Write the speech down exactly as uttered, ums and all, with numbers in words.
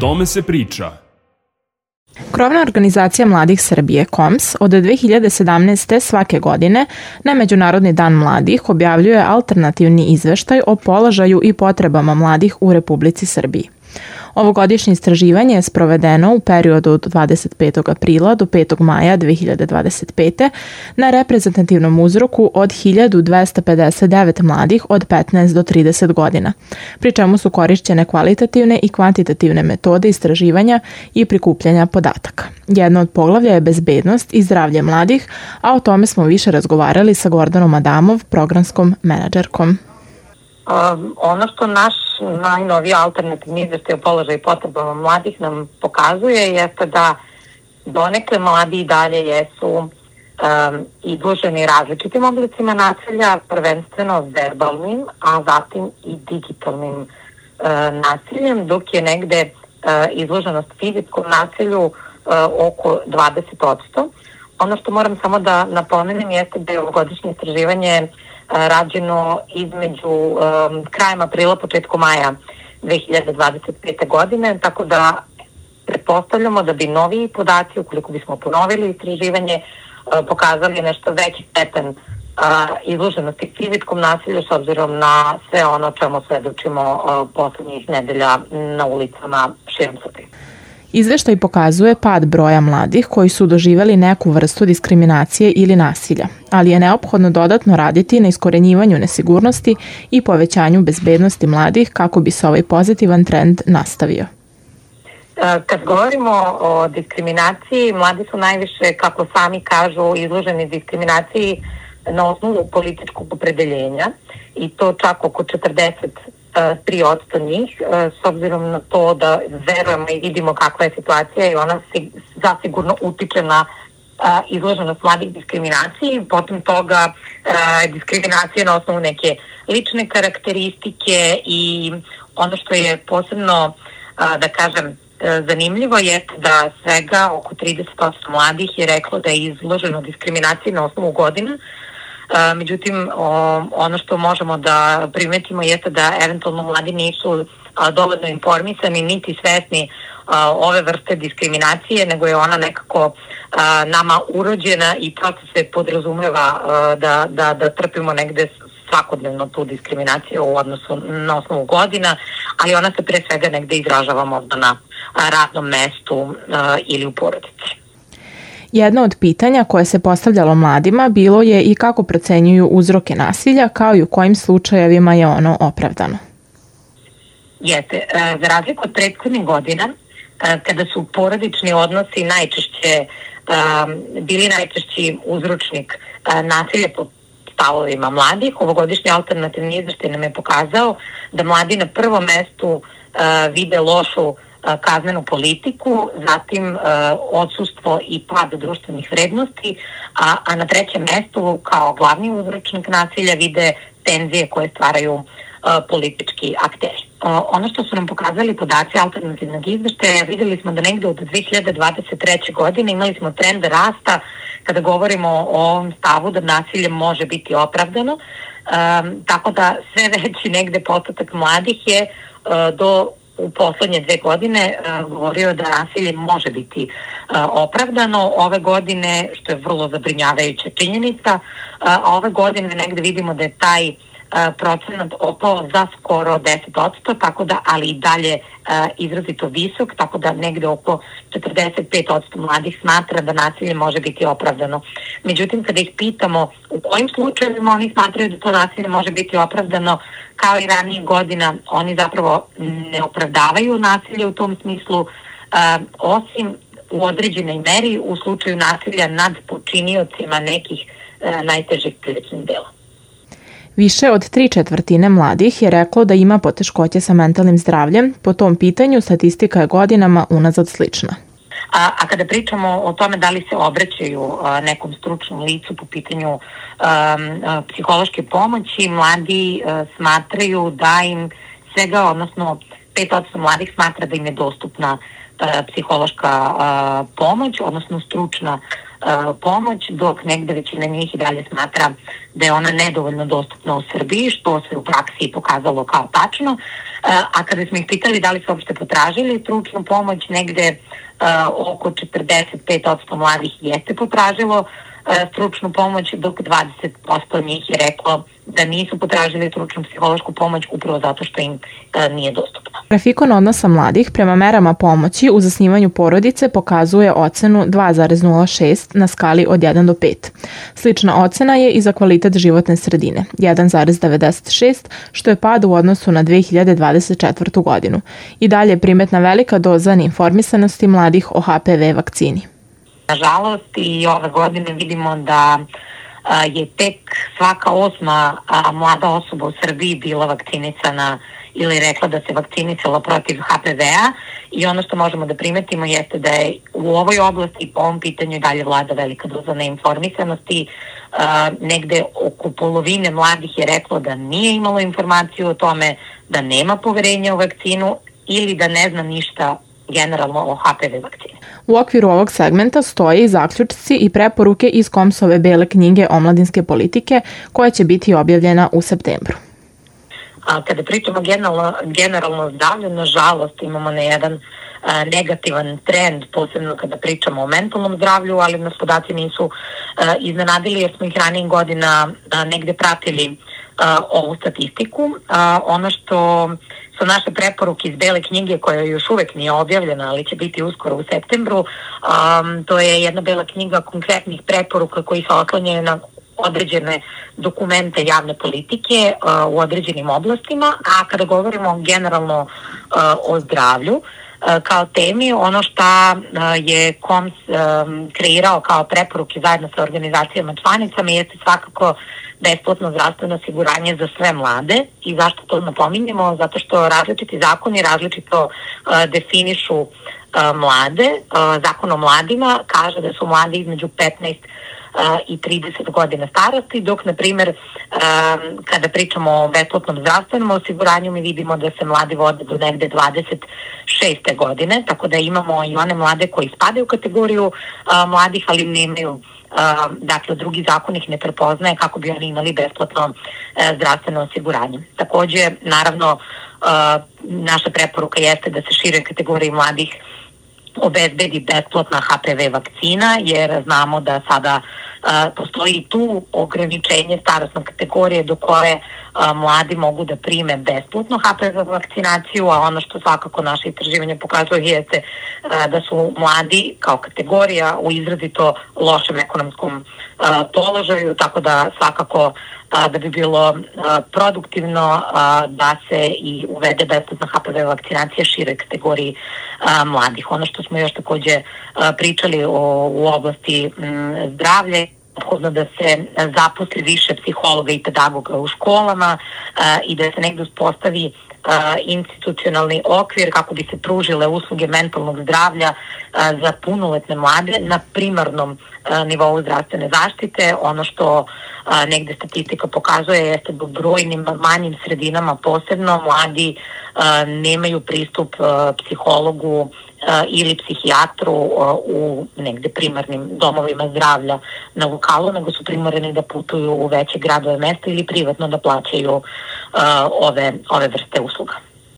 tome se priča. Krovna organizacija mladih Srbije, K O M S, od dve hiljade sedamnaeste. svake godine na Međunarodni dan mladih objavljuje alternativni izveštaj o položaju i potrebama mladih u Republici Srbiji. Ovogodišnje istraživanje je sprovedeno u periodu od dvadeset petog aprila do petog maja dve hiljade dvadeset pete. na reprezentativnom uzorku od hiljadu dvesta pedeset devet mladih od petnaest do trideset godina, pri čemu su korišćene kvalitativne i kvantitativne metode istraživanja i prikupljanja podataka. Jedno od poglavlja je bezbednost i zdravlje mladih, a o tome smo više razgovarali sa Gordanom Adamov, programskom menadžerkom. Um, ono što naš najnoviji alternativni izveštaj o položaju i potrebama mladih nam pokazuje jeste da donekle mladi i dalje jesu um, izloženi različitim oblicima nasilja, prvenstveno verbalnim, a zatim i digitalnim uh, nasiljem, dok je negde uh, izloženost fizičkom nasilju uh, oko dvadeset posto. Ono što moram samo da napomenem jeste da je ovogodišnje istraživanje rađeno između um, krajem aprila, početkom maja dve hiljade dvadeset pete. godine, tako da pretpostavljamo da bi novi podaci, ukoliko bismo ponovili istraživanje, uh, pokazali nešto veći stepen uh, izloženosti fizičkom nasilju s obzirom na sve ono čemu svedočimo uh, poslednjih nedelja na ulicama širom Srbije. Izveštaj pokazuje pad broja mladih koji su doživjeli neku vrstu diskriminacije ili nasilja, ali je neophodno dodatno raditi na iskorenjivanju nesigurnosti i povećanju bezbednosti mladih kako bi se ovaj pozitivan trend nastavio. Kad govorimo o diskriminaciji, mladi su najviše, kako sami kažu, izloženi diskriminaciji na osnovu političkog opredeljenja i to čak oko četrdeset tri posto njih, s obzirom na to da verujemo i vidimo kakva je situacija i ona zasigurno utiče na izloženost mladih diskriminaciji, potom toga diskriminacije na osnovu neke lične karakteristike i ono što je posebno, da kažem, zanimljivo je da svega oko trideset posto mladih je reklo da je izloženo diskriminaciji na osnovu godina. Međutim, ono što možemo da primetimo jeste da eventualno mladi nisu dovoljno informisani niti svesni ove vrste diskriminacije, nego je ona nekako nama urođena i prosto se podrazumeva da, da, da trpimo negde svakodnevno tu diskriminaciju u odnosu na osnovu godina, ali ona se pre svega negde izražava možda na radnom mestu ili u porodici. Jedno od pitanja koje se postavljalo mladima bilo je i kako procenjuju uzroke nasilja, kao i u kojim slučajevima je ono opravdano. Jeste, za razliku od prethodnih godina, kada su porodični odnosi najčešće bili najčešći uzročnik nasilja po stavovima mladih, ovogodišnji alternativni izveštaj nam je pokazao da mladi na prvom mestu vide lošu kaznenu politiku, zatim odsustvo i pad društvenih vrednosti, a, a na trećem mestu kao glavni uzročnik nasilja vide tenzije koje stvaraju a, politički akteri. A, ono što su nam pokazali podaci alternativnog izveštaja, videli smo da negde od dve hiljade dvadeset treće. godine imali smo trend rasta kada govorimo o ovom stavu da nasilje može biti opravdano, a, tako da sve veći negde postotak mladih je a, do u poslednje dve godine uh, govorio da nasilje može biti uh, opravdano. Ove godine, što je vrlo zabrinjavajuća činjenica, uh, a ove godine negde vidimo da je taj uh, procenat opao za skoro deset posto, tako da, ali i dalje uh, izrazito visok, tako da negde oko četrdeset pet posto mladih smatra da nasilje može biti opravdano. Međutim, kada ih pitamo u kojim slučajevima oni smatraju da to nasilje može biti opravdano, kao i ranijih godina, oni zapravo ne opravdavaju nasilje u tom smislu, uh, osim u određenoj meri u slučaju nasilja nad počiniocima nekih uh, najtežih krivičnih dela. Više od tri četvrtine mladih je reklo da ima poteškoće sa mentalnim zdravljem. Po tom pitanju statistika je godinama unazad slična. A, a kada pričamo o tome da li se obraćaju a, nekom stručnom licu po pitanju a, a, psihološke pomoći, mladi a, smatraju da im svega, odnosno pet posto mladih smatra da im je dostupna a, psihološka a, pomoć, odnosno stručna pomoć, dok negde većina njih i dalje smatra da je ona nedovoljno dostupna u Srbiji, što se u praksi pokazalo kao tačno. A kada smo ih pitali da li su uopšte potražili stručnu pomoć, negde oko četrdeset pet posto mladih jeste potražilo stručnu pomoć, dok dvadeset posto njih je reklo da nisu potražili stručnu psihološku pomoć upravo zato što im nije dostupna. Grafikon odnosa mladih prema merama pomoći u zasnivanju porodice pokazuje ocenu dva zarez nula šest na skali od jedan do pet. Slična ocena je i za kvalitet životne sredine, jedan zarez devedeset šest, što je pad u odnosu na dve hiljade dvadeset četvrtu. godinu. I dalje je primetna velika doza neinformisanosti mladih o H P V vakcini. Nažalost, i ove godine vidimo da je tek svaka osma mlada osoba u Srbiji bila vakcinisana ili rekla da se vakcinisala protiv H P V-a, i ono što možemo da primetimo jeste da je u ovoj oblasti po ovom pitanju i dalje vlada velika doza neinformisanosti. Negde oko polovine mladih je reklo da nije imalo informaciju o tome, da nema poverenja u vakcinu ili da ne zna ništa generalno o H P V vakcini. U okviru ovog segmenta stoje i zaključci i preporuke iz Komsove bele knjige omladinske politike, koja će biti objavljena u septembru. A kada pričamo generalno, generalno o zdravlju, nažalost imamo na jedan a, negativan trend, posebno kada pričamo o mentalnom zdravlju, ali nas podaci nisu a, iznenadili jer smo ih ranijih godina a, negde pratili a, ovu statistiku. A, ono što su naše preporuke iz bele knjige, koja još uvek nije objavljena, ali će biti uskoro u septembru, um, to je jedna bela knjiga konkretnih preporuka koji se oslanjaju na određene dokumente javne politike uh, u određenim oblastima, a kada govorimo generalno uh, o zdravlju uh, kao temi, ono što uh, je Koms um, kreirao kao preporuke zajedno sa organizacijama članicama jeste svakako besplatno zdravstveno osiguranje za sve mlade. I zašto to napominjemo? Zato što različiti zakoni različito uh, definišu uh, mlade. Uh, Zakon o mladima kaže da su mladi između petnaest i trideset godina starosti, dok, na primjer, kada pričamo o besplatnom zdravstvenom osiguranju, mi vidimo da se mladi vode do negde dvadeset šeste godine, tako da imamo i one mlade koji spadaju u kategoriju mladih, ali nemaju, dakle, drugi zakon ih ne prepoznaje kako bi oni imali besplatno zdravstveno osiguranje. Takođe, naravno, naša preporuka jeste da se šire kategoriji mladih obezbedi besplatna H P V vakcina, jer znamo da sada a, postoji tu ograničenje starosne kategorije do koje a, mladi mogu da prime besplatno H P V vakcinaciju, a ono što svakako naše istraživanje pokazuje jeste a, da su mladi kao kategorija u izrazito lošem ekonomskom a, položaju, tako da svakako a, da bi bilo a, produktivno a, da se i uvede besplatna H P V vakcinacija široj kategoriji a, mladih. Ono što smo još takođe a, pričali o, u oblasti m, zdravlja, neophodno da se zaposli više psihologa i pedagoga u školama a, i da se negde uspostavi a, institucionalni okvir kako bi se pružile usluge mentalnog zdravlja a, za punoletne mlade na primarnom a, nivou zdravstvene zaštite. Ono što a, negde statistika pokazuje jeste da u brojnim manjim sredinama posebno mladi a, nemaju pristup a, psihologu ili psihijatru u negde primarnim domovima zdravlja na lokalu, nego su primoreni da putuju u veće gradove mesta ili privatno da plaćaju uh, ove, ove vrste usluga.